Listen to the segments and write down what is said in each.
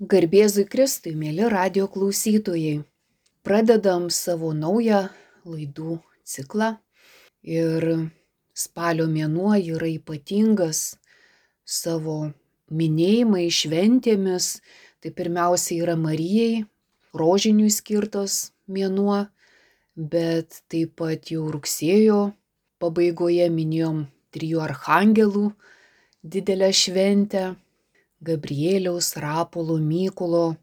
Garbėzui Kristui, mėly radijo klausytojai. Pradedam savo naują laidų ciklą ir spalio mėnuo yra ypatingas savo minėjimais, šventėmis. Tai pirmiausia yra Marijai, rožiniui skirtas mėnuo, bet taip pat jau rugsėjo pabaigoje minėjom 3 archangelų didelę šventę. Gabrieliaus, Rapolo, Mykolo,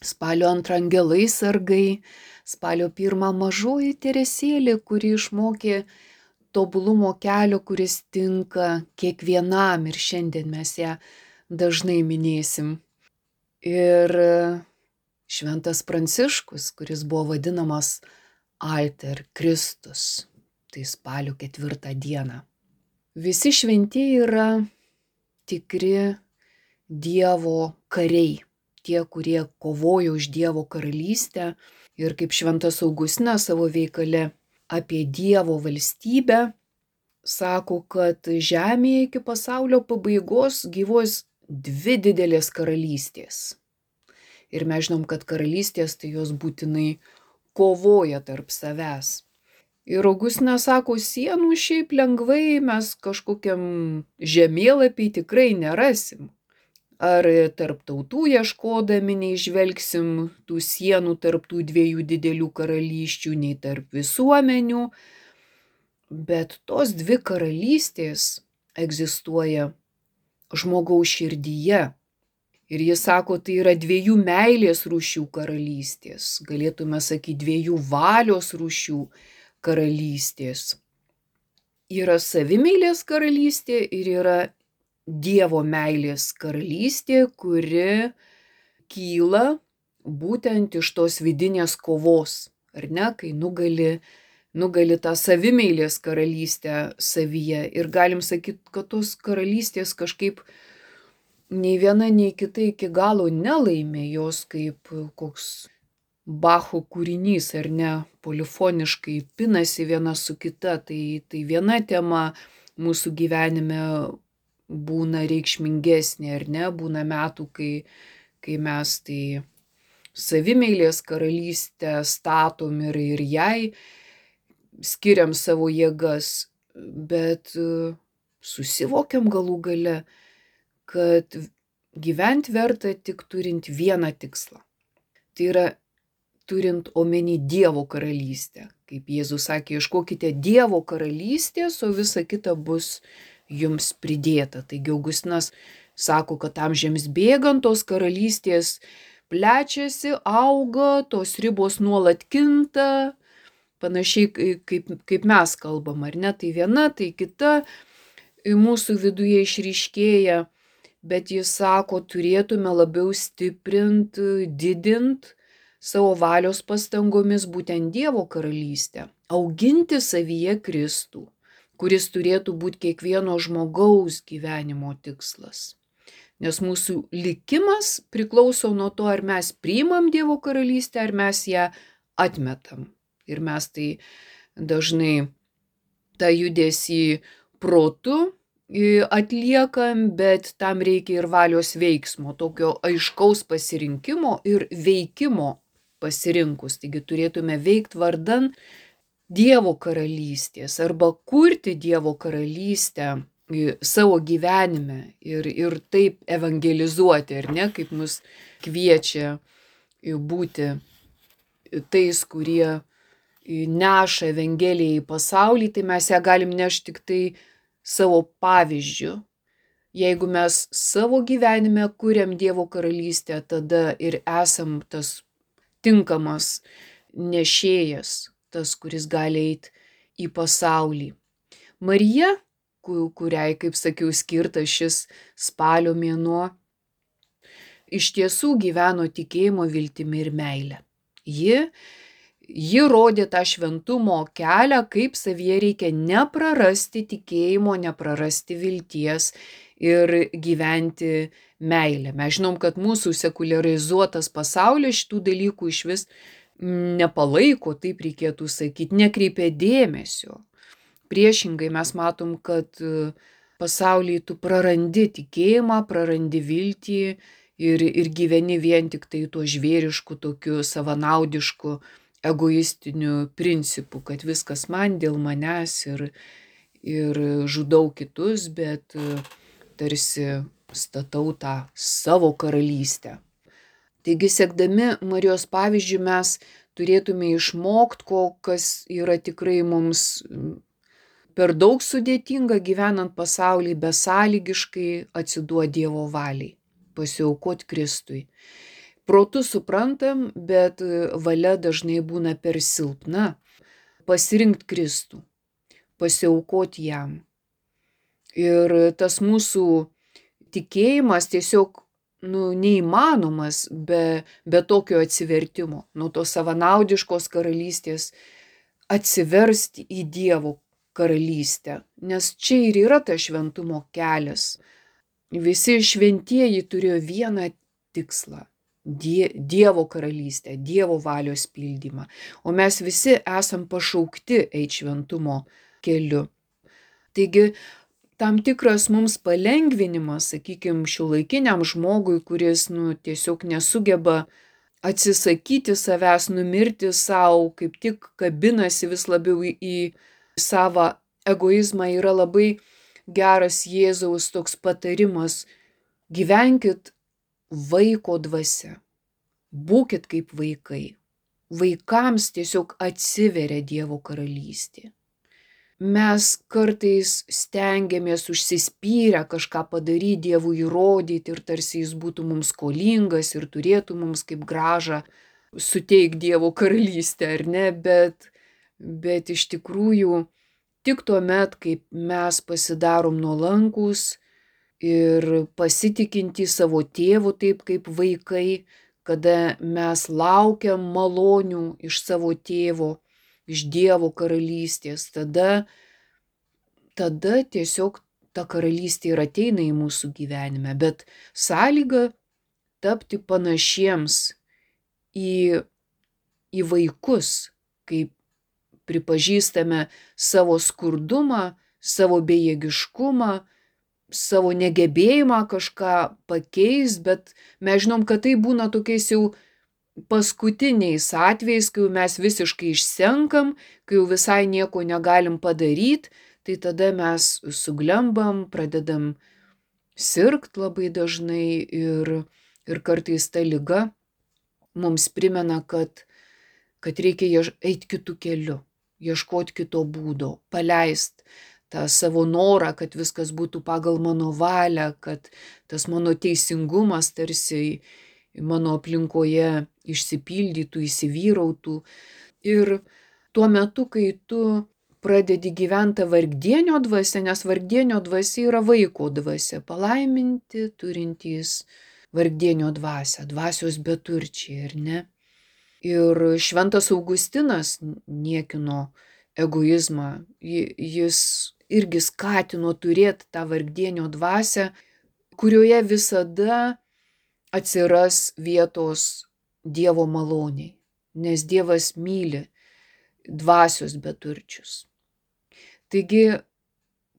spalio 2 angelai sargai, spalio 1 mažoji Teresėlė, kuri išmokė tobulumo kelio, kuris tinka kiekvienam ir šiandien mes ją dažnai minėsim. Ir Šventas Pranciškus, kuris buvo vadinamas Alter Kristus, tai spalio 4 dieną. Visi šventieji yra tikri Dievo kariai, tie, kurie kovojo už Dievo karalystę. Ir kaip Šventas Augustinas savo veikale apie Dievo valstybę sako, kad žemėje iki pasaulio pabaigos gyvuos 2 didelės karalystės. Ir mes žinom, kad karalystės tai jos būtinai kovoja tarp savęs. Ir Augustinas sako, sienų šiaip lengvai mes kažkokiam žemėlapį tikrai nerasim. Ar tarp tautų ieškodami neižvelgsim tų sienų tarp tų 2 didelių karalysčių, nei tarp visuomenių. Bet tos 2 karalystės egzistuoja žmogaus širdyje. Ir jis sako, tai yra 2 meilės rūšių karalystės. Galėtume sakyti 2 valios rūšių karalystės. Yra savimeilės karalystė ir yra Dievo meilės karalystė, kuri kyla būtent iš tos vidinės kovos, ar ne, kai nugali tą savimeilės karalystę savyje. Ir galim sakyti, kad tos karalystės kažkaip nei viena, nei kita iki galo nelaimė, jos kaip koks Bacho kūrinys, ar ne, polifoniškai pinasi viena su kita. Tai viena tema mūsų gyvenime būna reikšmingesnė, ar ne, būna metų, kai mes tai savimeilės karalystę statom ir jai skiriam savo jėgas, bet susivokiam galų gale, kad gyventi verta tik turint vieną tikslą. Tai yra turint omeny Dievo karalystę. Kaip Jėzus sakė, ieškokite Dievo karalystės, o visa kita bus jums pridėta. Taigi Augustinas sako, kad amžiams bėgant tos karalystės plečiasi, auga, tos ribos nuolat kinta, panašiai kaip mes kalbam, ar ne, tai viena, tai kita mūsų viduje išryškėja, bet jis sako, turėtume labiau stiprint, didint savo valios pastangomis būtent Dievo karalystę, auginti savyje Kristų, kuris turėtų būti kiekvieno žmogaus gyvenimo tikslas. Nes mūsų likimas priklauso nuo to, ar mes priimam Dievo karalystę, ar mes ją atmetam. Ir mes tai dažnai tą judesį protu atliekam, bet tam reikia ir valios veiksmo, tokio aiškaus pasirinkimo ir veikimo pasirinkus. Taigi turėtume veikti vardan Dievo karalystės arba kurti Dievo karalystę savo gyvenime ir taip evangelizuoti, ar ne, kaip mus kviečia būti tais, kurie neša evangeliją į pasaulį, tai mes ją galim nešti tik tai savo pavyzdžiu. Jeigu mes savo gyvenime kuriam Dievo karalystę, tada ir esam tas tinkamas nešėjas, tas, kuris gali eiti į pasaulį. Marija, kuriai, kaip sakiau, skirtas šis spalio mėnuo, iš tiesų gyveno tikėjimo, viltimi ir meile. Ji rodė tą šventumo kelią, kaip savyje reikia neprarasti tikėjimo, neprarasti vilties ir gyventi meilę. Mes žinom, kad mūsų sekuliarizuotas pasaulis šitų dalykų išvis nepalaiko, taip reikėtų sakyti, nekreipia dėmesio. Priešingai mes matom, kad pasaulyje tu prarandi tikėjimą, prarandi viltį ir gyveni vien tik tai tuo žvėrišku, tokiu savanaudišku, egoistiniu principu, kad viskas man dėl manęs ir žudau kitus, bet tarsi statau tą savo karalystę. Taigi, sekdami Marijos pavyzdžių, mes turėtume išmokti, kas yra tikrai mums per daug sudėtinga gyvenant pasaulį, besąlygiškai atsiduoti Dievo valiai, pasiaukoti Kristui. Protu suprantam, bet valia dažnai būna per silpna. Pasirinkti Kristų, pasiaukoti jam. Ir tas mūsų tikėjimas tiesiog neįmanomas be tokio atsivertimo, nuo tos savanaudiškos karalystės atsiversti į Dievo karalystę, nes čia ir yra tas šventumo kelias. Visi šventieji turėjo vieną tikslą – Dievo karalystę, Dievo valios pildymą, o mes visi esam pašaukti eiti šventumo keliu. Taigi, tam tikras mums palengvinimas, sakykime, šiuolaikiniam žmogui, kuris tiesiog nesugeba atsisakyti savęs, numirti savo, kaip tik kabinasi vis labiau į savo egoizmą, yra labai geras Jėzaus toks patarimas: gyvenkit vaiko dvasia, būkit kaip vaikai. Vaikams tiesiog atsiveria Dievo karalystė. Mes kartais stengiamės užsispyrę kažką padaryti, Dievui įrodyti ir tarsi jis būtų mums skolingas ir turėtų mums kaip grąžą suteikti Dievo karalystę, ar ne? Bet iš tikrųjų tik tuomet, kaip mes pasidarom nuolankūs ir pasitikinti savo tėvu taip kaip vaikai, kada mes laukiam malonių iš savo tėvo, iš Dievo karalystės, tada tiesiog ta karalystė ir ateina į mūsų gyvenime, bet sąlyga tapti panašiems į vaikus, kaip pripažįstame savo skurdumą, savo bejėgiškumą, savo negebėjimą kažką pakeisti, bet mes žinom, kad tai būna tokiais jau paskutiniais atvejais, kai mes visiškai išsenkam, kai jau visai nieko negalim padaryti, tai tada mes suglembam, pradedam sirgt labai dažnai ir kartais ta liga mums primena, kad reikia eiti kitų kelių, ieškoti kito būdo, paleist tą savo norą, kad viskas būtų pagal mano valią, kad tas mano teisingumas tarsi mano aplinkoje išsipildytų, įsivyrautų. Ir tuo metu, kai tu pradedi gyventi tą vargdienio dvasią, nes vargdienio dvasia yra vaiko dvasia, palaiminti turintys vargdienio dvasią, dvasios beturčiai, ar ne? Ir šventas Augustinas niekino egoizmą, jis irgi skatino turėti tą vargdienio dvasią, kurioje visada atsiras vietos Dievo maloniai, nes Dievas myli dvasios beturčius. Taigi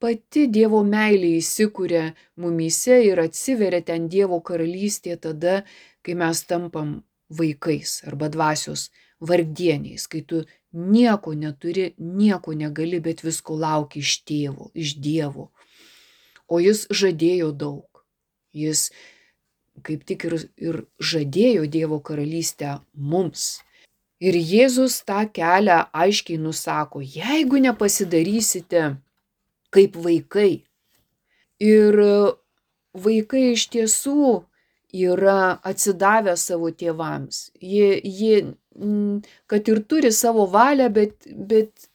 pati Dievo meilė įsikuria mumyse ir atsiveria ten Dievo karalystė tada, kai mes tampam vaikais arba dvasios vargdieniais, kai tu nieko neturi, nieko negali, bet visko lauki iš tėvo, iš Dievo. O jis žadėjo daug. Jis kaip tik ir žadėjo Dievo karalystę mums. Ir Jėzus tą kelią aiškiai nusako: jeigu nepasidarysite kaip vaikai. Ir vaikai iš tiesų yra atsidavę savo tėvams. Jie kad ir turi savo valią, bet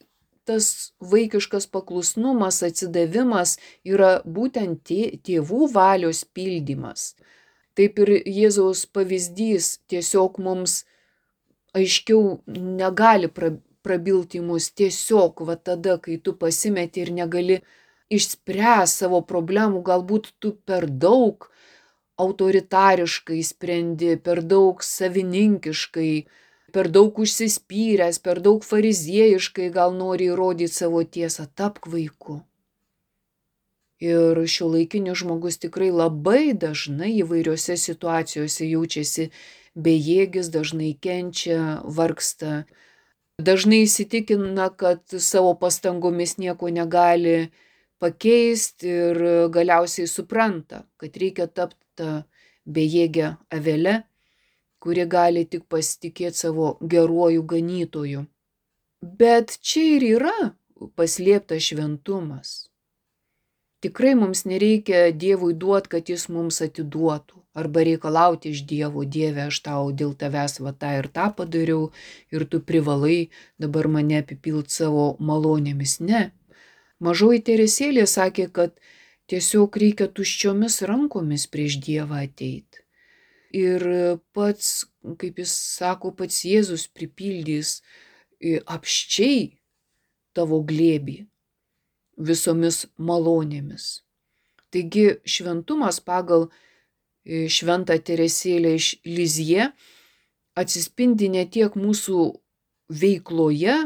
tas vaikiškas paklusnumas, atsidavimas yra būtent tėvų valios pildymas. Taip ir Jėzaus pavyzdys tiesiog mums aiškiau negali prabilti mus tiesiog va tada, kai tu pasimeti ir negali išspręsti savo problemų, galbūt tu per daug autoritariškai sprendi, per daug savininkiškai, per daug užsispyręs, per daug fariziejiškai gal nori įrodyti savo tiesą. Tapk vaiku. Ir šiuolaikinis žmogus tikrai labai dažnai įvairiose situacijose jaučiasi bejėgis, dažnai kenčia, vargsta. Dažnai įsitikina, kad savo pastangomis nieko negali pakeisti ir galiausiai supranta, kad reikia tapti tą bejėgę avelę, kuri gali tik pasitikėti savo geruoju ganytoju. Bet čia ir yra paslėptas šventumas. Tikrai mums nereikia Dievui duoti, kad jis mums atiduotų. Arba reikalauti iš Dievo, Dieve, aš tau dėl tavęs va tą ir tą padariau ir tu privalai dabar mane apipilt savo malonėmis. Ne. Mažoji Teresėlė sakė, kad tiesiog reikia tuščiomis rankomis prieš Dievą ateiti. Ir pats, kaip jis sako, pats Jėzus pripildys apščiai tavo glėbį visomis malonėmis. Taigi šventumas pagal šventą Teresėlę iš Lizie atsispindi ne tiek mūsų veikloje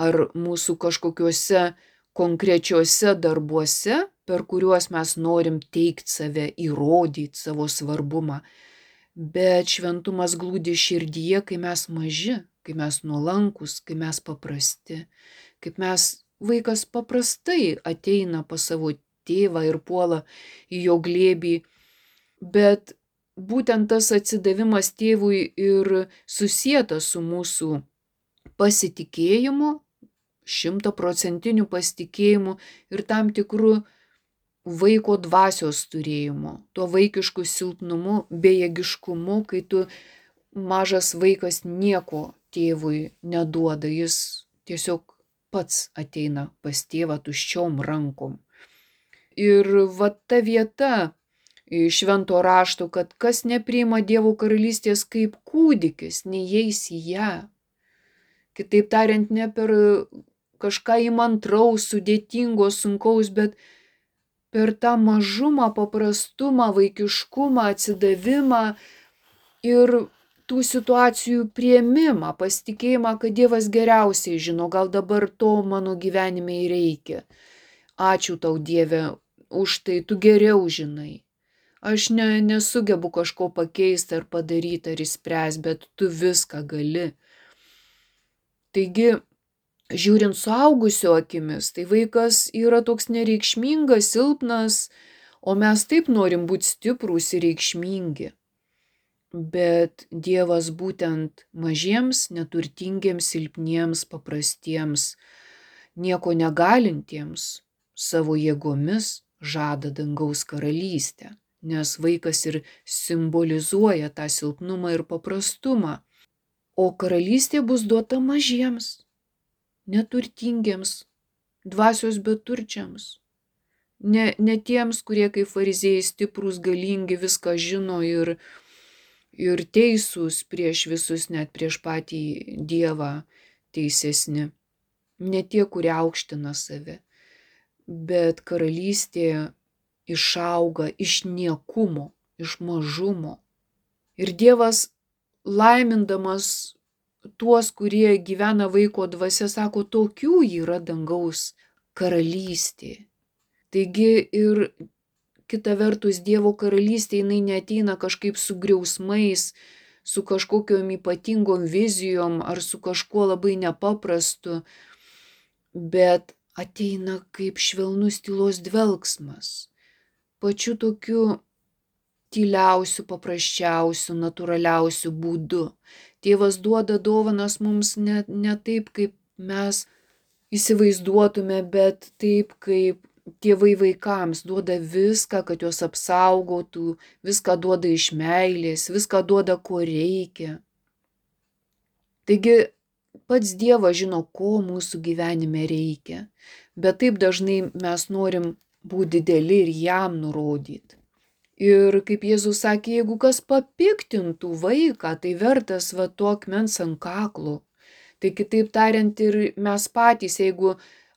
ar mūsų kažkokiuose konkrečiuose darbuose, per kuriuos mes norim teikti save, įrodyti savo svarbumą, bet šventumas glūdi širdyje, kai mes maži, kai mes nuolankus, kai mes paprasti, kaip mes vaikas paprastai ateina pas savo tėvą ir puola į jo glėbį, bet būtent tas atsidavimas tėvui ir susietas su mūsų pasitikėjimu, 100% pasitikėjimu ir tam tikru vaiko dvasios turėjimu, tuo vaikišku silpnumu, bejėgiškumu, kai tu mažas vaikas nieko tėvui neduoda, jis tiesiog pats ateina pas tėvą tuščiom rankom. Ir va ta vieta švento rašto, kad kas nepriima Dievo karalystės kaip kūdikis, neįeis į ją. Kitaip tariant, ne per kažką įmantraus, sudėtingo, sunkaus, bet per tą mažumą, paprastumą, vaikiškumą, atsidavimą ir tų situacijų priėmimą, pasitikėjimą, kad Dievas geriausiai žino, gal dabar to mano gyvenime ir reikia. Ačiū tau, Dieve, už tai, tu geriau žinai. Aš nesugebu kažko pakeisti ar padaryti ar išspręsti, bet tu viską gali. Taigi, žiūrint suaugusio akimis, tai vaikas yra toks nereikšmingas, silpnas, o mes taip norim būti stiprūs ir reikšmingi. Bet Dievas būtent mažiems, neturtingiems, silpniems, paprastiems, nieko negalintiems savo jėgomis žada dangaus karalystę, nes vaikas ir simbolizuoja tą silpnumą ir paprastumą. O karalystė bus duota mažiems, neturtingiems, dvasios beturčiams. Ne tiems, kurie kaip fariziejai stiprūs, galingi, viską žino ir teisūs prieš visus, net prieš patį Dievą teisesni. Ne tie, kurie aukština save. Bet karalystė išauga iš niekumo, iš mažumo. Ir Dievas laimindamas tuos, kurie gyvena vaiko dvasia, sako, tokių yra dangaus karalystė. Taigi ir kita vertus Dievo karalystė, jinai neateina kažkaip su griausmais, su kažkokiom ypatingom vizijom ar su kažkuo labai nepaprastu, bet ateina kaip švelnus tylos dvelksmas, pačiu tokiu tyliausiu, paprasčiausiu, natūraliausiu būdu. Tėvas duoda dovanas mums ne taip, kaip mes įsivaizduotume, bet taip, kaip tėvai vaikams duoda viską, kad juos apsaugotų, viską duoda iš meilės, viską duoda, ko reikia. Taigi pats Dievas žino, ko mūsų gyvenime reikia, bet taip dažnai mes norim būti dideli ir jam nurodyti. Ir kaip Jėzus sakė, jeigu kas papiktintų vaiką, tai vertas va to akmens ant kaklo. Tai kitaip tariant ir mes patys, jeigu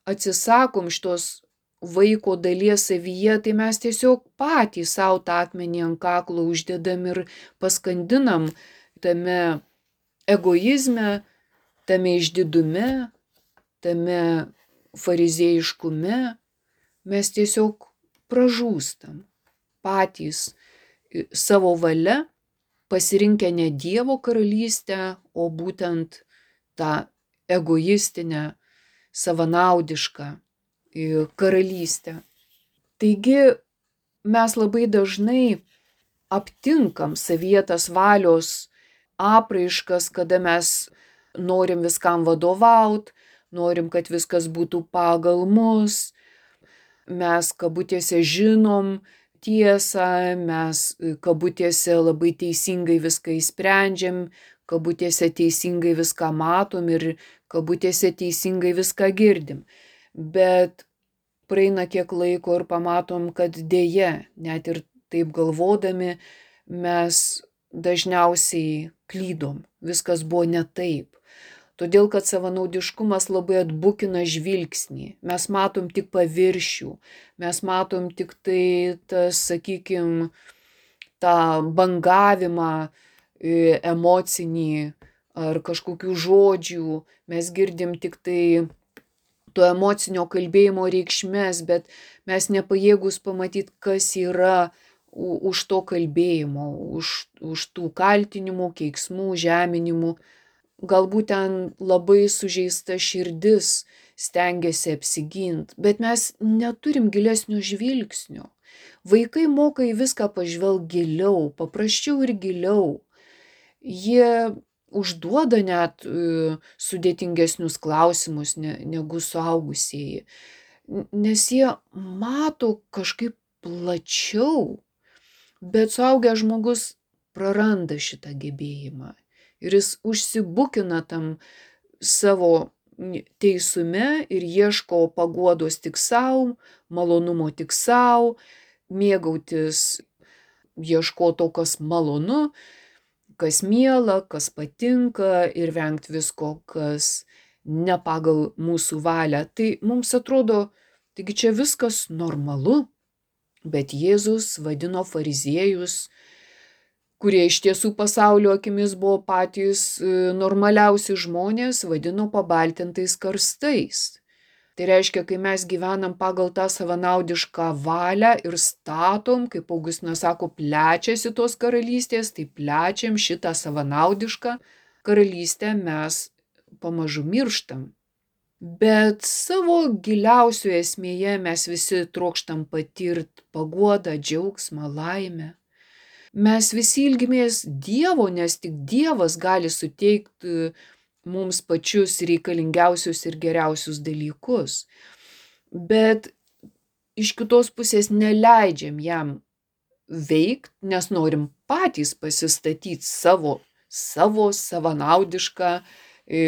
atsisakom šitos vaiko dalies savyje, tai mes tiesiog patys savo tą akmenį ant kaklo uždedam ir paskandinam tame egoizme, tame išdidume, tame fariziejiškume, mes tiesiog pražūstam patys savo valia, pasirinkę ne Dievo karalystę, o būtent tą egoistinę, savanaudišką karalystę. Taigi mes labai dažnai aptinkam savyje tas valios apraiškas, kada mes norim viskam vadovaut, norim, kad viskas būtų pagal mus, mes kabutėse žinom tiesą, mes kabutėse labai teisingai viską įsprendžiam, kabutėse teisingai viską matom ir kabutėse teisingai viską girdim. Bet praeina kiek laiko ir pamatom, kad dėja, net ir taip galvodami, mes dažniausiai klydom. Viskas buvo ne taip. Todėl, kad savanaudiškumas labai atbukina žvilgsnį. Mes matom tik paviršių. Mes matom tik tai tas, sakykim, tą bangavimą emocinį ar kažkokių žodžių. Mes girdim tik tai to emocinio kalbėjimo reikšmes, bet mes nepajėgus pamatyti, kas yra už to kalbėjimo, už tų kaltinimų, keiksmų, žeminimų. Galbūt ten labai sužeista širdis stengiasi apsigint, bet mes neturim gilesnio žvilgsnio. Vaikai moka į viską pažvelgti giliau, paprasčiau ir giliau. Jie užduoda net sudėtingesnius klausimus negu suaugusieji, nes jie mato kažkaip plačiau, bet suaugęs žmogus praranda šitą gebėjimą ir jis užsibukina tam savo teisume ir ieško paguodos tik savo, malonumo tik savo, mėgautis, ieško to, kas malonu, kas miela, kas patinka ir vengti visko, kas ne pagal mūsų valią. Tai mums atrodo, taigi čia viskas normalu, bet Jėzus vadino fariziejus, kurie iš tiesų pasaulio akimis buvo patys normaliausi žmonės, vadino pabaltintais karstais. Tai reiškia, kai mes gyvenam pagal tą savanaudišką valią ir statom, kaip Augustinas sako, plečiasi tos karalystės, tai plečiam šitą savanaudišką karalystę, mes pamažu mirštam. Bet savo giliausioje esmėje mes visi trokštam patirti paguodą, džiaugsmą, laimę. Mes visi ilgimės Dievo, nes tik Dievas gali suteikti mums pačius reikalingiausius ir geriausius dalykus. Bet iš kitos pusės neleidžiam jam veikti, nes norim patys pasistatyti savo savanaudišką,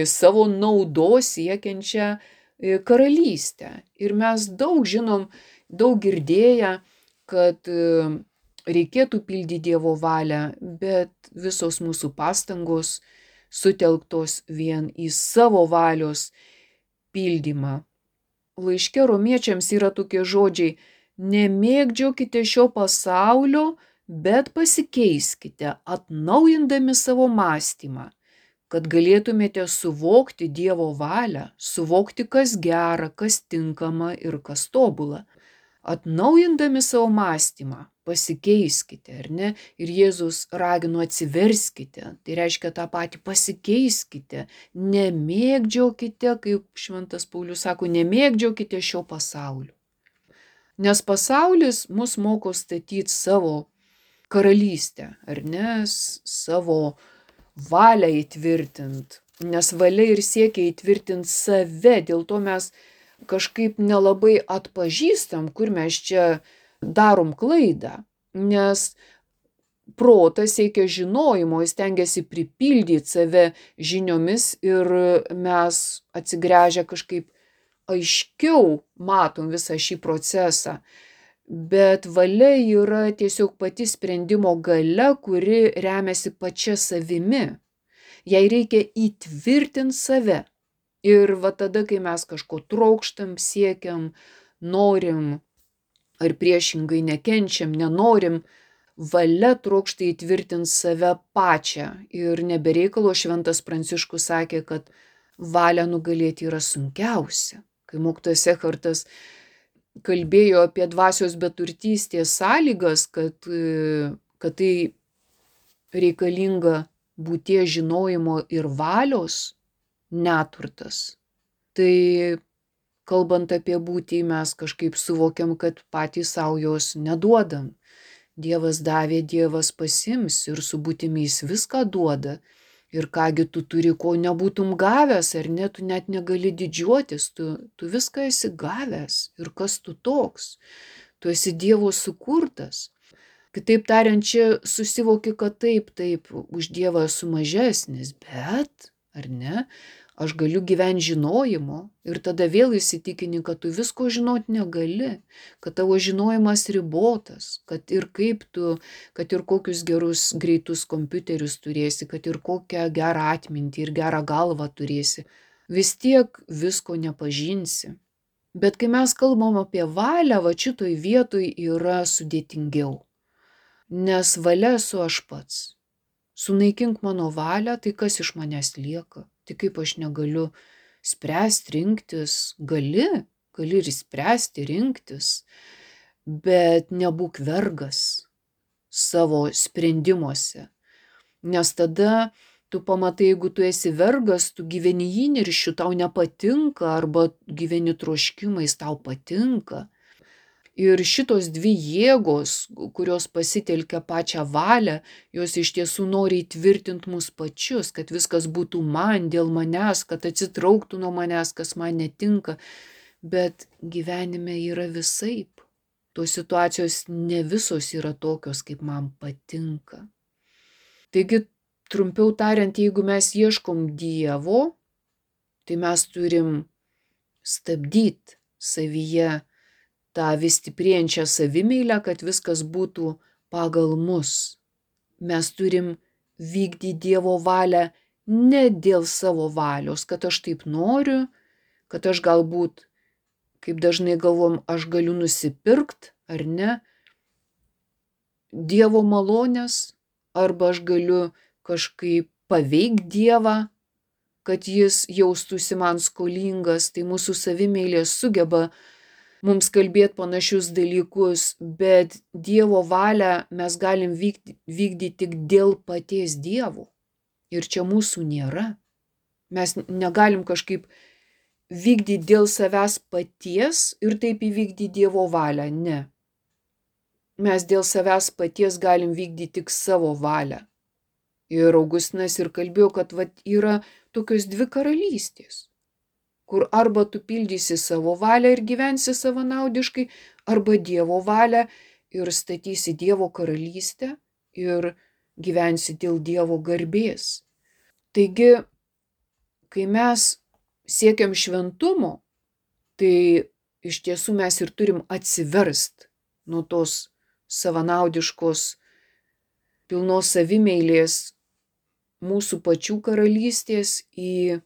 savo naudos siekiančią karalystę. Ir mes daug žinom, daug girdėję, kad reikėtų pildyti Dievo valią, bet visos mūsų pastangos sutelktos vien į savo valios pildymą. Laiške romiečiams yra tokie žodžiai: nemėgdžiokite šio pasaulio, bet pasikeiskite, atnaujindami savo mąstymą, kad galėtumėte suvokti Dievo valią, suvokti, kas gera, kas tinkama ir kas tobula. Atnaujindami savo mąstymą, pasikeiskite, ar ne? Ir Jėzus ragino atsiverskite, tai reiškia tą patį, pasikeiskite, nemėgdžiokite, kaip šventas Paulius sako, nemėgdžiokite šio pasaulio. Nes pasaulis mus moko statyti savo karalystę, ar ne, savo valią įtvirtinti, nes valia ir siekia įtvirtinti save, dėl to mes kažkaip nelabai atpažįstam, kur mes čia darom klaidą, nes protas siekia žinojimo, jis stengiasi pripildyti save žiniomis ir mes atsigręžę kažkaip aiškiau matom visą šį procesą. Bet valia yra tiesiog pati sprendimo galia, kuri remiasi pačia savimi. Jai reikia įtvirtinti save. Ir va tada, kai mes kažko trokštam, siekiam, norim, ar priešingai nekenčiam, nenorim, valia trokšta įtvirtinti save pačią. Ir nebereikalo šventas Pranciškus sakė, kad valią nugalėti yra sunkiausia. Kai mokytojas Ekhartas kalbėjo apie dvasios beturtystės sąlygas, kad tai reikalinga būties žinojimo ir valios neturtas. Tai kalbant apie būtį, mes kažkaip suvokiam, kad patys savo jos neduodam. Dievas davė, Dievas pasiims ir su būtimi jis viską duoda. Ir kągi tu turi, ko nebūtum gavęs, ar ne, tu net negali didžiuotis, tu viską esi gavęs. Ir kas tu toks? Tu esi Dievo sukurtas. Kitaip tariant, čia susivoki, kad taip, už Dievą esu mažesnis, bet, ar ne, aš galiu gyventi žinojimo ir tada vėl įsitikini, kad tu visko žinot negali, kad tavo žinojimas ribotas, kad ir kokius gerus greitus kompiuterius turėsi, kad ir kokią gerą atmintį ir gerą galvą turėsi, vis tiek visko nepažinsi. Bet kai mes kalbam apie valią, va šitoj vietoj yra sudėtingiau. Nes valia esu aš pats. Sunaikink mano valią, tai kas iš manęs lieka? Tai kaip aš negaliu spręsti, rinktis? Gali ir spręsti, rinktis, bet nebūk vergas savo sprendimuose. Nes tada tu pamatai, jeigu tu esi vergas, tu gyveni įniršiu, tau nepatinka, arba gyveni troškimais, tau patinka. Ir šitos dvi jėgos, kurios pasitelkia pačią valią, jos iš tiesų nori įtvirtinti mus pačius, kad viskas būtų man, dėl manęs, kad atsitrauktų nuo manęs, kas man netinka. Bet gyvenime yra visaip. Tos situacijos ne visos yra tokios, kaip man patinka. Taigi, trumpiau tariant, jeigu mes ieškom Dievo, tai mes turim stabdyti savyje tą vis stiprėjančią savimeilę, kad viskas būtų pagal mus. Mes turim vykdyti Dievo valią ne dėl savo valios, kad aš taip noriu, kad aš galbūt, kaip dažnai galvom, aš galiu nusipirkt, ar ne, Dievo malonės, arba aš galiu kažkaip paveikti Dievą, kad jis jaustųsi man skolingas. Tai mūsų savimeilė sugeba mums kalbėti panašius dalykus, bet Dievo valią mes galim vykdyti tik dėl paties Dievo. Ir čia mūsų nėra. Mes negalim kažkaip vykdyti dėl savęs paties ir taip įvykdyti Dievo valią. Ne. Mes dėl savęs paties galim vykdyti tik savo valią. Ir Augustinas ir kalbėjo, kad yra tokios dvi karalystės, kur arba tu pildysi savo valią ir gyvensi savanaudiškai, arba Dievo valią ir statysi Dievo karalystę ir gyvensi dėl Dievo garbės. Taigi, kai mes siekiam šventumo, tai iš tiesų mes ir turim atsiverst nuo tos savanaudiškos pilnos savimeilės mūsų pačių karalystės į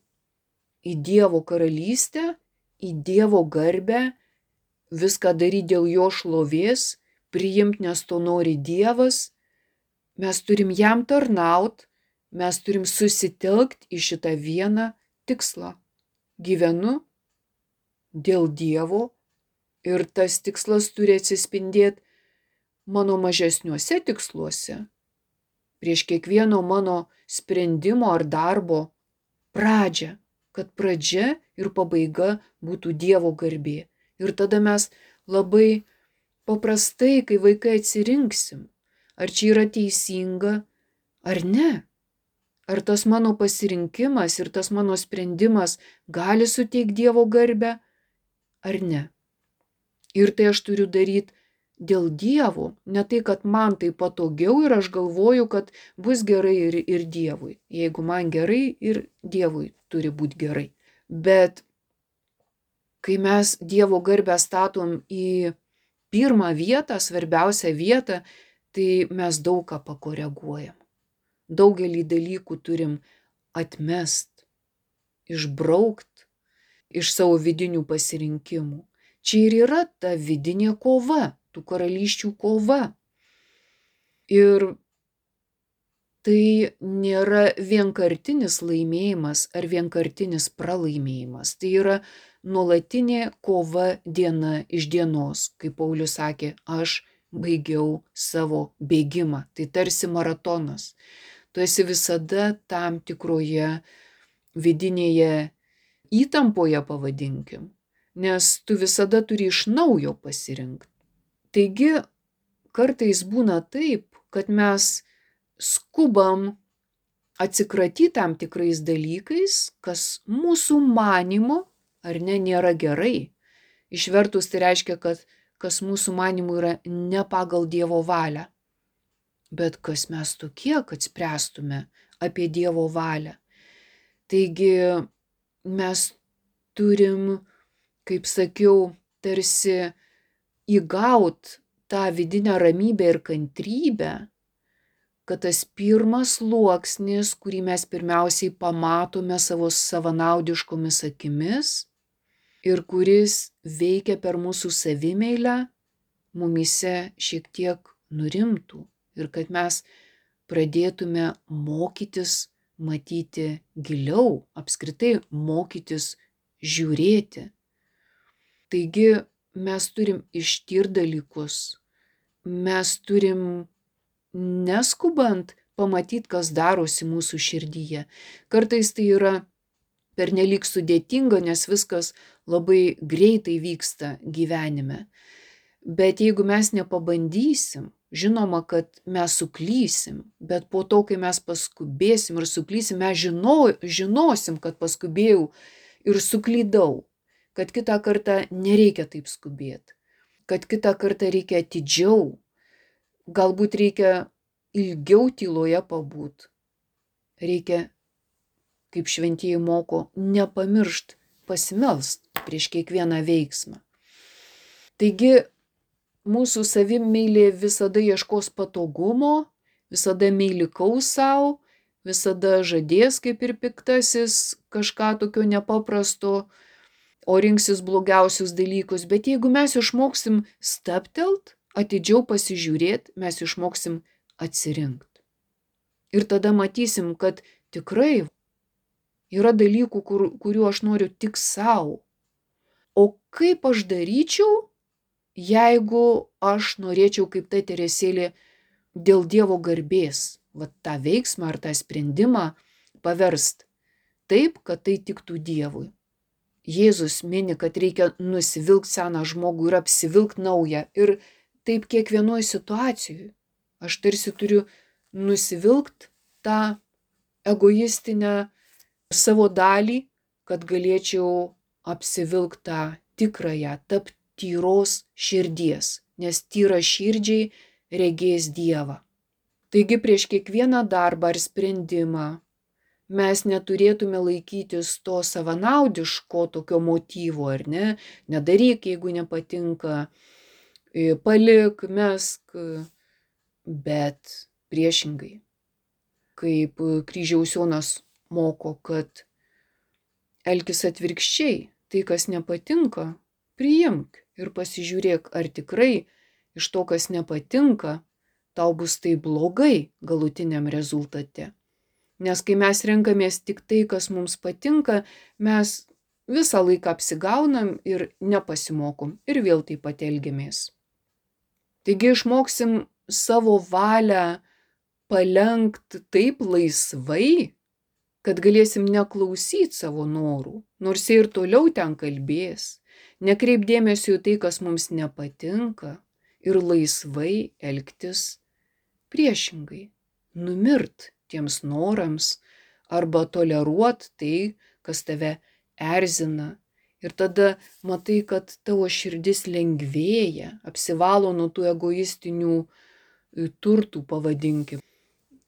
Dievo karalystę, į Dievo garbę, viską daryti dėl jo šlovės, priimti, nes to nori Dievas. Mes turim jam tarnaut, mes turim susitelkti į šitą vieną tikslą. Gyvenu dėl Dievo ir tas tikslas turi atsispindėti mano mažesniuose tiksluose. Prieš kiekvieno mano sprendimo ar darbo pradžią, kad pradžia ir pabaiga būtų Dievo garbė. Ir tada mes labai paprastai, kai vaikai atsirinksim, ar čia yra teisinga, ar ne. Ar tas mano pasirinkimas ir tas mano sprendimas gali suteikti Dievo garbę, ar ne. Ir tai aš turiu daryti dėl Dievo, ne tai, kad man tai patogiau ir aš galvoju, kad bus gerai ir Dievui. Jeigu man gerai, ir Dievui turi būti gerai. Bet kai mes Dievo garbę statom į pirmą vietą, svarbiausią vietą, tai mes daug ką pakoreguojam. Daugelį dalykų turim atmest, išbraukt iš savo vidinių pasirinkimų. Čia ir yra ta vidinė kova, tų karalysčių kova. Ir tai nėra vienkartinis laimėjimas ar vienkartinis pralaimėjimas. Tai yra nuolatinė kova diena iš dienos. Kaip Paulius sakė, aš baigiau savo bėgimą. Tai tarsi maratonas. Tu esi visada tam tikroje vidinėje įtampoje, pavadinkim, nes tu visada turi iš naujo pasirinkti. Taigi kartais būna taip, kad mes skubam atsikratyti tam tikrais dalykais, kas mūsų manymu ar ne nėra gerai. Išvertus tai reiškia, kad kas mūsų manymu yra ne pagal Dievo valią. Bet kas mes tokie, kad spręstume apie Dievo valią. Taigi mes turim, kaip sakiau, tarsi įgaut tą vidinę ramybę ir kantrybę, kad tas pirmas sluoksnis, kurį mes pirmiausiai pamatome savo savanaudiškomis akimis ir kuris veikia per mūsų savimeilę, mumyse šiek tiek nurimtų ir kad mes pradėtume mokytis matyti giliau, apskritai mokytis žiūrėti. Taigi mes turim ištirti dalykus, mes turim neskubant pamatyti, kas darosi mūsų širdyje. Kartais tai yra pernelyg sudėtinga, nes viskas labai greitai vyksta gyvenime. Bet jeigu mes nepabandysim, žinoma, kad mes suklysim, bet po to, kai mes paskubėsim ir suklysim, mes žinosim, kad paskubėjau ir suklydau, kad kitą kartą nereikia taip skubėti, kad kitą kartą reikia atidžiau, galbūt reikia ilgiau tyloje pabūt. Reikia, kaip šventieji moko, nepamiršt pasimelst prieš kiekvieną veiksmą. Taigi, mūsų savimeilė visada ieškos patogumo, visada meilikaus savo, visada žadės, kaip ir piktasis, kažką tokio nepaprasto, o rinksis blogiausius dalykus. Bet jeigu mes išmoksim stabtelt, atidžiau pasižiūrėti, mes išmoksim atsirinkti. Ir tada matysim, kad tikrai yra dalykų, kurių aš noriu tik savo. O kaip aš daryčiau, jeigu aš norėčiau kaip ta Teresėlė dėl Dievo garbės, tą veiksmą ar tą sprendimą paverst taip, kad tai tiktų Dievui. Jėzus mini, kad reikia nusivilkt seną žmogų ir apsivilkt naują. Ir taip kiekvienoje situacijoje. Aš tarsi turiu nusivilkt tą egoistinę savo dalį, kad galėčiau apsivilkt tą tikrąją, tapti tyros širdies, nes tyra širdžiai regės Dievą. Taigi prieš kiekvieną darbą ar sprendimą mes neturėtume laikytis to savanaudiško tokio motyvo, ar ne? Nedaryk, jeigu nepatinka, palik, mesk, bet priešingai. Kaip Kryžiaus Jonas moko, kad elkis atvirkščiai, tai kas nepatinka, priimk ir pasižiūrėk, ar tikrai iš to, kas nepatinka, tau bus tai blogai galutiniam rezultate. Nes kai mes renkamės tik tai, kas mums patinka, mes visą laiką apsigaunam ir nepasimokom ir vėl taip pat elgiamės. Taigi išmoksim savo valią palenkt taip laisvai, kad galėsim neklausyti savo norų, nors jie ir toliau ten kalbės, nekreip dėmesio į tai, kas mums nepatinka ir laisvai elgtis priešingai, numirt tiems norams arba toleruot tai, kas tave erzina. Ir tada matai, kad tavo širdis lengvėja, apsivalo nuo tų egoistinių turtų, pavadinkim.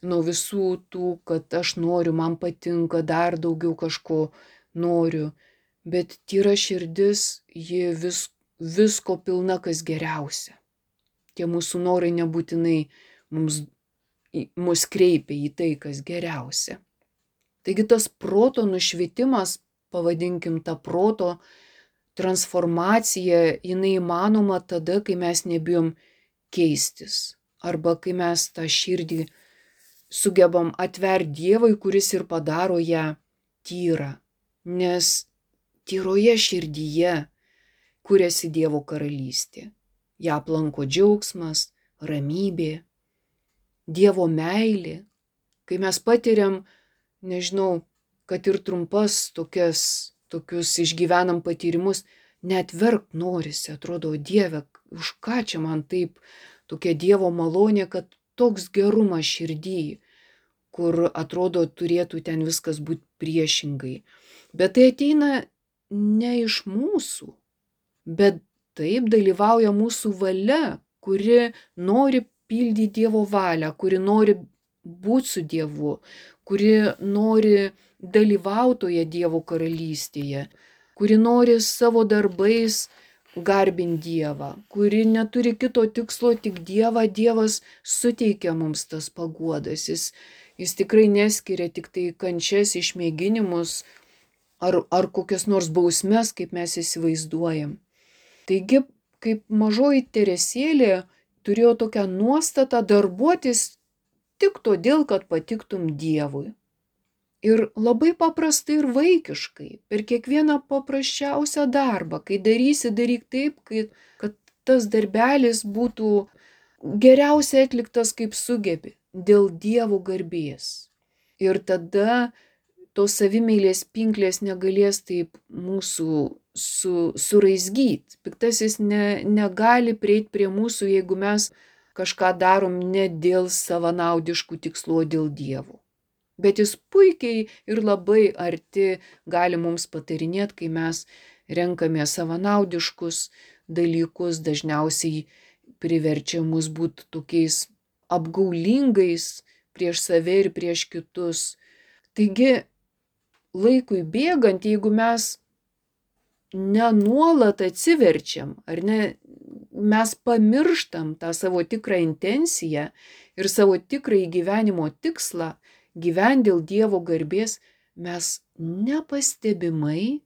Nuo visų tų, kad aš noriu, man patinka, dar daugiau kažko noriu. Bet tyra širdis, ji visko pilna, kas geriausia. Tie mūsų norai nebūtinai mus kreipia į tai, kas geriausia. Taigi tas proto nušvitimas, pavadinkim tą proto transformaciją, jinai įmanoma tada, kai mes nebijom keistis. Arba kai mes tą širdį sugebam atverti Dievui, kuris ir padaro ją tyrą. Nes tyroje širdyje kuriasi Dievo karalystė. Ja aplanko džiaugsmas, ramybė, Dievo meilė. Kai mes patiriam, nežinau, kad ir tokius išgyvenam patyrimus, net verkt norisi, atrodo, Dieve, už ką čia man taip tokia Dievo malonė, kad toks gerumas širdį, kur atrodo turėtų ten viskas būti priešingai. Bet tai ateina ne iš mūsų, bet taip dalyvauja mūsų valia, kuri nori pildyti Dievo valią, kuri nori būti su Dievu, kuri nori dalyvautoje Dievo karalystėje, kuri nori savo darbais garbinti Dievą, kuri neturi kito tikslo, tik Dievą. Dievas suteikia mums tas paguodas. Jis tikrai neskiria tik tai kančias, išmėginimus ar kokias nors bausmes, kaip mes įsivaizduojam. Taigi, kaip mažoji Teresėlė turėjo tokią nuostatą darbuotis tik todėl, kad patiktum Dievui. Ir labai paprastai ir vaikiškai, per kiekvieną paprasčiausią darbą, kai darysi, daryk taip, kad tas darbelis būtų geriausiai atliktas kaip sugebi, dėl Dievo garbės. Ir tada tos savimeilės pinklės negalės taip mūsų suraizgyti. Piktasis negali prieiti prie mūsų, jeigu mes kažką darom ne dėl savanaudiškų tikslų, o dėl Dievo. Bet jis puikiai ir labai arti gali mums patarinėti, kai mes renkame savanaudiškus dalykus, dažniausiai priverčia mus būti tokiais apgaulingais prieš save ir prieš kitus. Taigi, laikui bėgant, jeigu mes nenuolat atsiverčiam, ar ne, mes pamirštam tą savo tikrą intenciją ir savo tikrąjį gyvenimo tikslą, gyventi dėl Dievo garbės, mes nepastebimai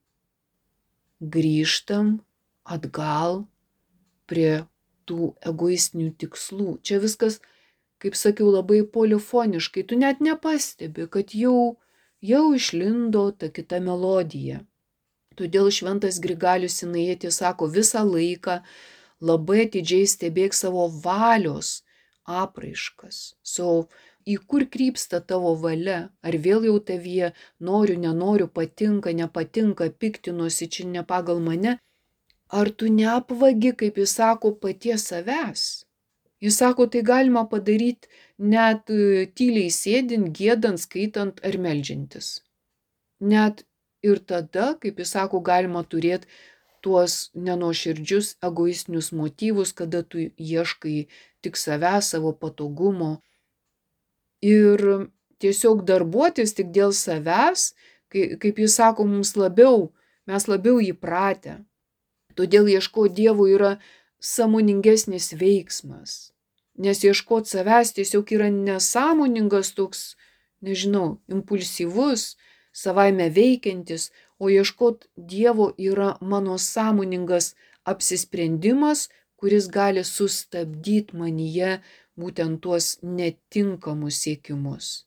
grįžtam atgal prie tų egoistinių tikslų. Čia viskas, kaip sakiau, labai polifoniškai. Tu net nepastebi, kad jau išlindo ta kita melodija. Todėl šventas Grigalius Sinaitis sako, visą laiką labai atidžiai stebėk savo valios apraiškas. Į kur krypsta tavo valia, ar vėl jau tavyje noriu, nenoriu, patinka, nepatinka, piktinuosi, čia ne pagal mane, ar tu neapvagi, kaip jis sako, paties savęs. Jis sako, tai galima padaryti net tyliai sėdint, giedant, skaitant ar meldžiantis. Net ir tada, kaip jis sako, galima turėti tuos nenuoširdžius egoistinius motyvus, kada tu ieškai tik savęs, savo patogumo. Ir tiesiog darbuotis tik dėl savęs, kaip jis sako, mes labiau įpratę. Todėl ieškoti Dievo yra sąmoningesnis veiksmas. Nes ieškoti savęs tiesiog yra nesąmoningas toks, impulsyvus, savaime veikiantis, o ieškoti Dievo yra mano sąmoningas apsisprendimas, kuris gali sustabdyti manyje būtent tuos netinkamus siekimus.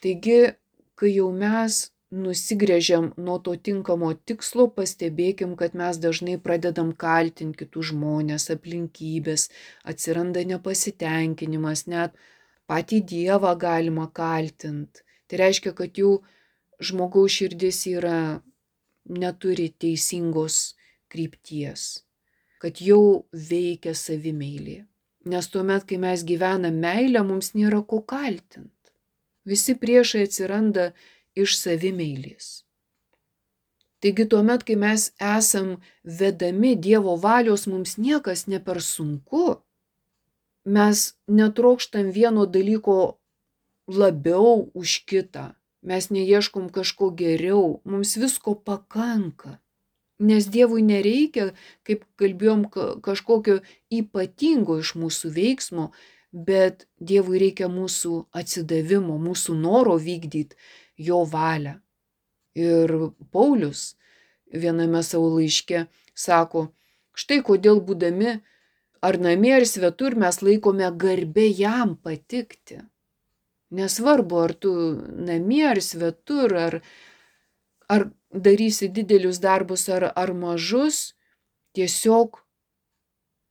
Taigi, kai jau mes nusigręžiam nuo to tinkamo tikslo, pastebėkim, kad mes dažnai pradedam kaltinti kitus žmonės, aplinkybės, atsiranda nepasitenkinimas, net patį Dievą galima kaltinti. Tai reiškia, kad jau žmogaus širdis neturi teisingos krypties, kad jau veikia savimeilė. Nes tuomet, kai mes gyvenam meilę, mums nėra ko kaltinti. Visi priešai atsiranda iš savimeilės. Taigi tuomet, kai mes esam vedami Dievo valios, mums niekas ne per sunku. Mes netrokštam vieno dalyko labiau už kitą. Mes neieškom kažko geriau. Mums visko pakanka. Nes Dievui nereikia, kaip kalbėjom, kažkokio ypatingo iš mūsų veiksmo, bet Dievui reikia mūsų atsidavimo, mūsų noro vykdyti jo valią. Ir Paulius viename savo laiške sako, štai kodėl būdami ar namie ar svetur mes laikome garbė jam patikti. Nesvarbu, ar tu namie, ar svetur, ar darysi didelius darbus, ar mažus, tiesiog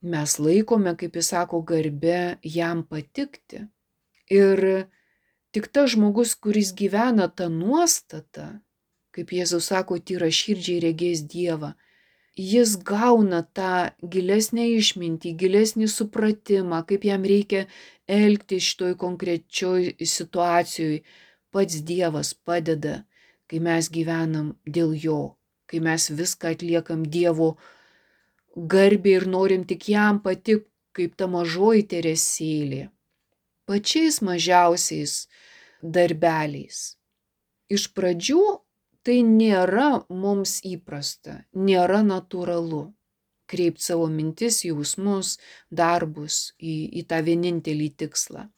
mes laikome, kaip jis sako, garbė jam patikti. Ir tik tas žmogus, kuris gyvena tą nuostatą, kaip Jėzus sako, tyra širdžiai regės Dievą, jis gauna tą gilesnę išmintį, gilesnį supratimą, kaip jam reikia elgtis šitoj konkrečioj situacijoj. Pats Dievas padeda, kai mes gyvenam dėl jo, kai mes viską atliekam Dievo garbei ir norim tik jam patikti, kaip ta mažoji Teresėlė. Pačiais mažiausiais darbeliais. Iš pradžių tai nėra mums įprasta, nėra natūralu kreipti savo mintis, jausmus, darbus į tą vienintelį tikslą.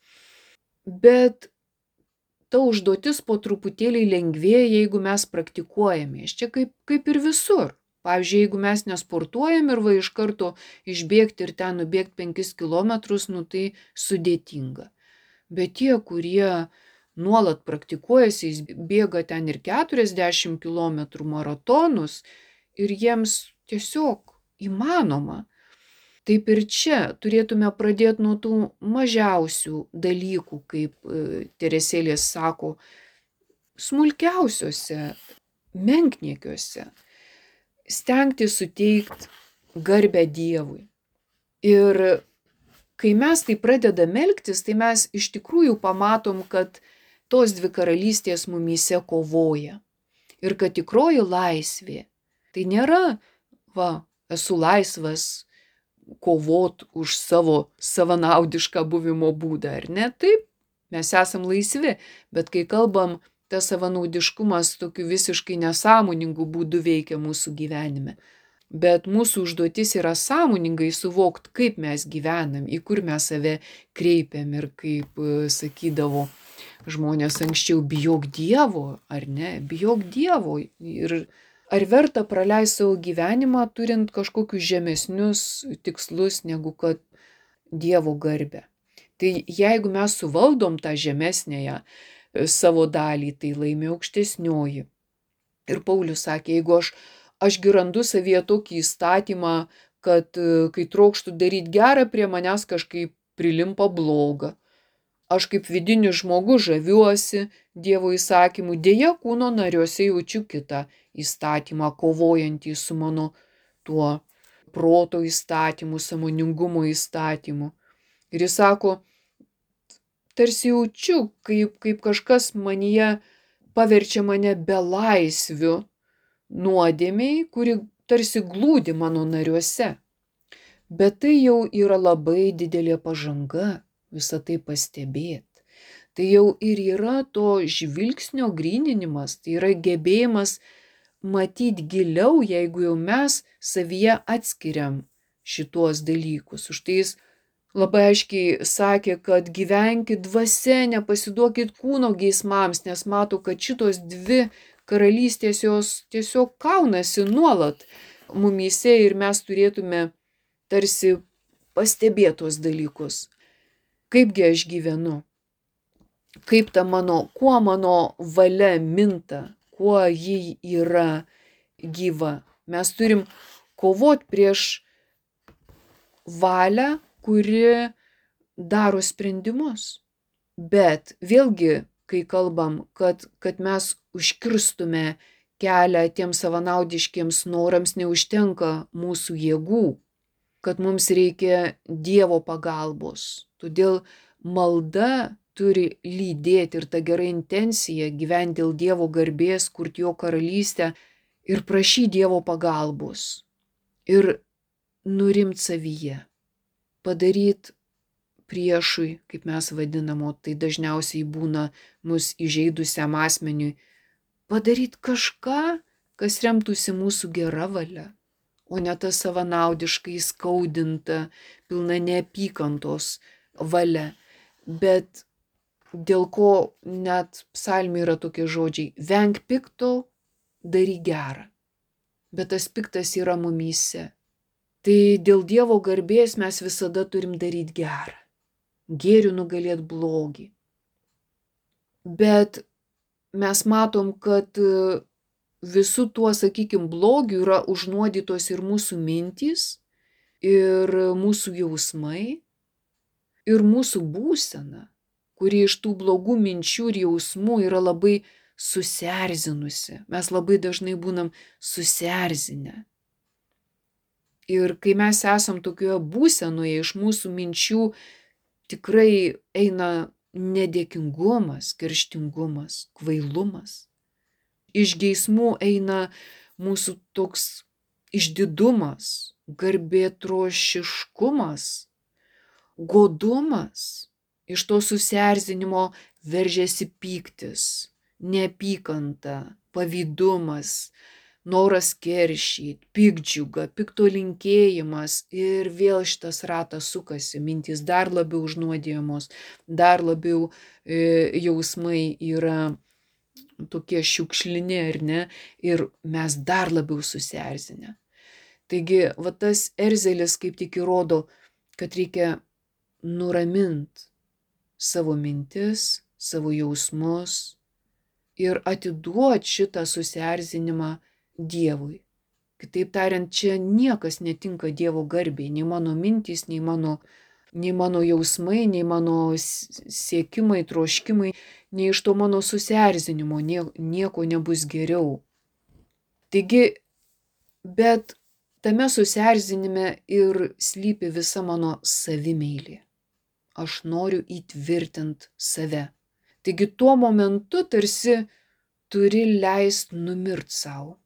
Bet ta užduotis po truputėlį lengvėja, jeigu mes praktikuojame. Čia kaip ir visur. Pavyzdžiui, jeigu mes nesportuojam ir iš karto išbėgti ir ten nubėgti 5 kilometrus, tai sudėtinga. Bet tie, kurie nuolat praktikuojasi, jis bėga ten ir 40 km maratonus ir jiems tiesiog įmanoma. Taip ir čia turėtume pradėti nuo tų mažiausių dalykų, kaip Teresėlės sako, smulkiausiuose, menkniekiuose, stengti suteikti garbę Dievui. Ir kai mes tai pradedam elgtis, tai mes iš tikrųjų pamatom, kad tos dvi karalystės mumyse kovoja. Ir kad tikroji laisvė tai nėra, esu laisvas kovot už savo savanaudišką buvimo būdą, ar ne? Taip, mes esam laisvi, bet kai kalbam, tas savanaudiškumas tokiu visiškai nesąmoningų būdų veikia mūsų gyvenime. Bet mūsų užduotis yra sąmoningai suvokti, kaip mes gyvenam, į kur mes save kreipiam ir kaip sakydavo žmonės anksčiau, bijok Dievo, ar ne? Bijok Dievo. Ir ar verta praleisti savo gyvenimą, turint kažkokius žemesnius tikslus, negu kad Dievo garbę. Tai jeigu mes suvaldom tą žemesnėją savo dalį, tai laimi aukštesnioji. Ir Paulius sakė, jeigu aš gi randu savyje tokį įstatymą, kad kai trokštų daryti gerą, prie manęs kažkaip prilimpa bloga. Aš kaip vidinis žmogus žaviuosi Dievo įsakymu, dėja kūno nariuose jaučiu kitą įstatymą, kovojantį su mano tuo proto įstatymu, sąmoningumo įstatymu. Ir jis sako, tarsi jaučiu, kaip kažkas manyje paverčia mane belaisviu nuodėmiai, kuri tarsi glūdi mano nariuose. Bet tai jau yra labai didelė pažanga, visą tai pastebėti. Tai jau ir yra to žvilgsnio gryninimas, tai yra gebėjimas matyti giliau, jeigu jau mes savyje atskiriam šituos dalykus. Už tai jis labai aiškiai sakė, kad gyvenkit dvasia, nepasiduokit kūno geismams, nes mato, kad šitos dvi karalystės jos tiesiog kaunasi nuolat mumyse ir mes turėtume tarsi pastebėtos dalykus. Kaipgi aš gyvenu? Kaip ta kuo mano valia minta, kuo ji yra gyva? Mes turim kovoti prieš valią, kuri daro sprendimus. Bet vėlgi, kai kalbam, kad mes užkirstume kelią tiems savanaudiškiems norams, neužtenka mūsų jėgų, kad mums reikia Dievo pagalbos. Todėl malda turi lydėti ir ta gera intencija gyventi dėl Dievo garbės, kurti jo karalystę ir prašyti Dievo pagalbos. Ir nurimt savyje. Padaryti priešui, kaip mes vadinamo, tai dažniausiai būna mus įžeidusiam asmeniui, padaryti kažką, kas remtųsi mūsų gera valia, o ne ta savanaudiškai skaudinta, pilna neapykantos valia. Bet dėl ko net psalmė yra tokie žodžiai, venk pikto, daryk gerą. Bet tas piktas yra mumyse. Tai dėl Dievo garbės mes visada turim daryti gerą. Gėriu nugalėti blogį. Bet mes matom, kad visų tuo, sakykime, blogiu yra užnuodytos ir mūsų mintys, ir mūsų jausmai, ir mūsų būsena, kuri iš tų blogų minčių ir jausmų yra labai susierzinusi. Mes labai dažnai būnam susierzinę. Ir kai mes esam tokioje būsenoje, iš mūsų minčių tikrai eina nedėkingumas, kerštingumas, kvailumas. Iš geismų eina mūsų toks išdidumas, garbėtrošiškumas, godumas. Iš to susierzinimo veržiasi pyktis, neapykanta, pavydumas, noras keršyti, piktdžiuga, pikto linkėjimas ir vėl šitas ratas sukasi, mintys dar labiau užnuodijamos, dar labiau jausmai yra tokie šiukšlini, ar ne, ir mes dar labiau susierzinę. Taigi, va tas erzelis kaip tik įrodo, kad reikia nuramint savo mintis, savo jausmus ir atiduoti šitą susierzinimą Dievui. Kitaip tariant, čia niekas netinka Dievo garbei, nei mano mintys, nei mano jausmai, nei mano siekimai, troškimai, nei iš to mano susierzinimo nieko nebus geriau. Taigi, bet tame susierzinime ir slypi visa mano savimeilė. Aš noriu įtvirtinti save. Taigi tuo momentu tarsi turi leist numirt savo.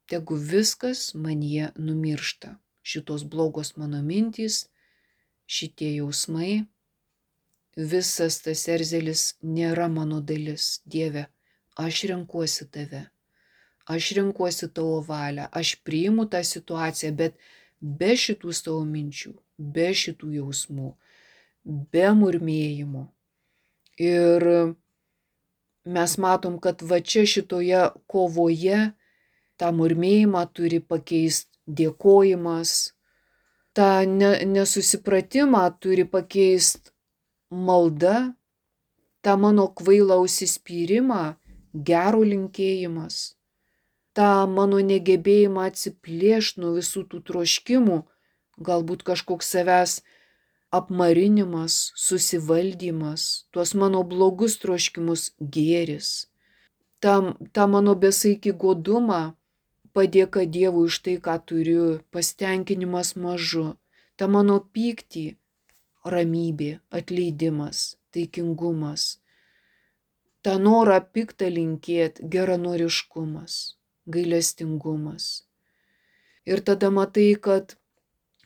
Tegu viskas manyje numiršta. Šitos blogos mano mintys, šitie jausmai, visas tas erzelis nėra mano dalis. Dieve, aš renkuosi tave. Aš renkuosi tavo valią. Aš priimu tą situaciją, bet be šitų savo minčių, be šitų jausmų, be murmėjimo. Ir mes matom, kad va čia šitoje kovoje tą murmėjimą turi pakeisti dėkojimas, tą nesusipratimą turi pakeisti malda, tą mano kvailą užsispyrimą gero linkėjimas, tą mano negebėjimą atsiplėšti nuo visų tų troškimų, galbūt kažkoks savęs apmarinimas, susivaldymas, tuos mano blogus troškimus gėris, tą mano besaikį godumą, padėka Dievui už tai, ką turiu, pasitenkinimas mažu, tą mano pyktį, ramybė, atleidimas, taikingumas, tą norą piktą linkėti, geranoriškumas, gailestingumas. Ir tada matai, kad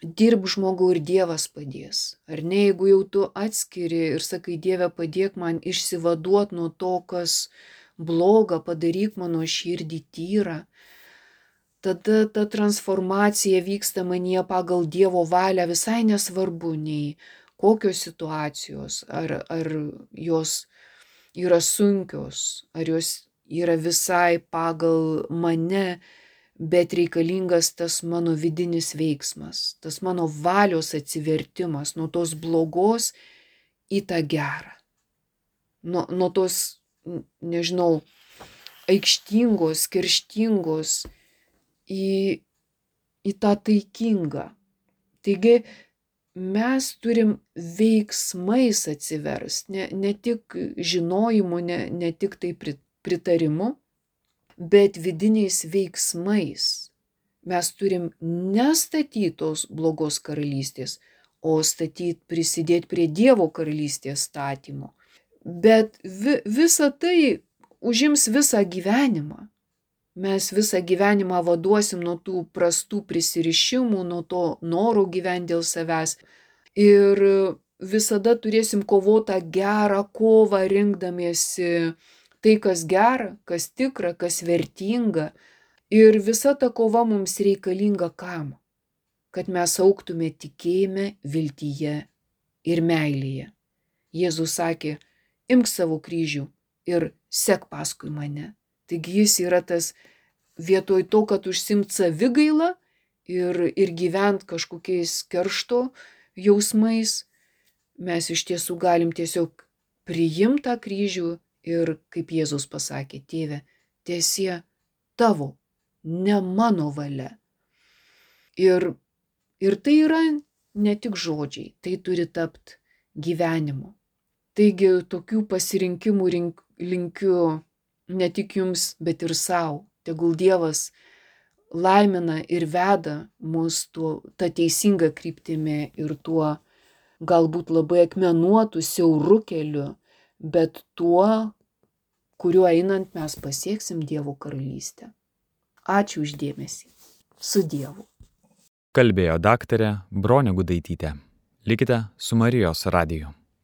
dirb žmogau ir Dievas padės. Ar ne, jeigu jau tu atskiri ir sakai, Dieve, padėk man išsivaduot nuo to, kas bloga, padaryk mano širdį tyrą, tada ta transformacija vyksta manyje pagal Dievo valią, visai nesvarbu nei kokios situacijos, ar jos yra sunkios, ar jos yra visai pagal mane, bet reikalingas tas mano vidinis veiksmas, tas mano valios atsivertimas nuo tos blogos į tą gerą, nuo tos, nežinau, aikštingos, kerštingos į tą taikingą. Taigi mes turim veiksmais atsiversti, ne tik žinojimu, ne tik tai pritarimu, bet vidiniais veiksmais. Mes turim nestatyti tos blogos karalystės, o prisidėti prie Dievo karalystės statymo. Bet visa tai užims visą gyvenimą. Mes visą gyvenimą vaduosim nuo tų prastų prisirišimų, nuo to noro gyventi dėl savęs. Ir visada turėsim kovotą gerą kovą, rinkdamiesi tai, kas gera, kas tikra, kas vertinga. Ir visa ta kova mums reikalinga kam? Kad mes augtume tikėjime, viltyje ir meilėje. Jėzus sakė, imk savo kryžių ir sek paskui mane. Taigi jis yra tas, vietoj to, kad užsimt savigailą ir gyvent kažkokiais keršto jausmais, mes iš tiesų galim tiesiog priimti tą kryžių Ir kaip Jėzus pasakė, tėve, tiesie tavo, ne mano valia. Ir tai yra ne tik žodžiai, tai turi tapti gyvenimu. Taigi tokių pasirinkimų linkiu ne tik jums, bet ir savo. Tegul Dievas laimina ir veda mus ta teisinga kryptimi ir tuo galbūt labai akmenuotu, siauru keliu, bet tuo, kuriuo einant mes pasieksim Dievo karalystę. Ačiū už dėmesį. Su Dievu. Kalbėjo daktarė Bronė Gudaitytė. Likite su Marijos radiju.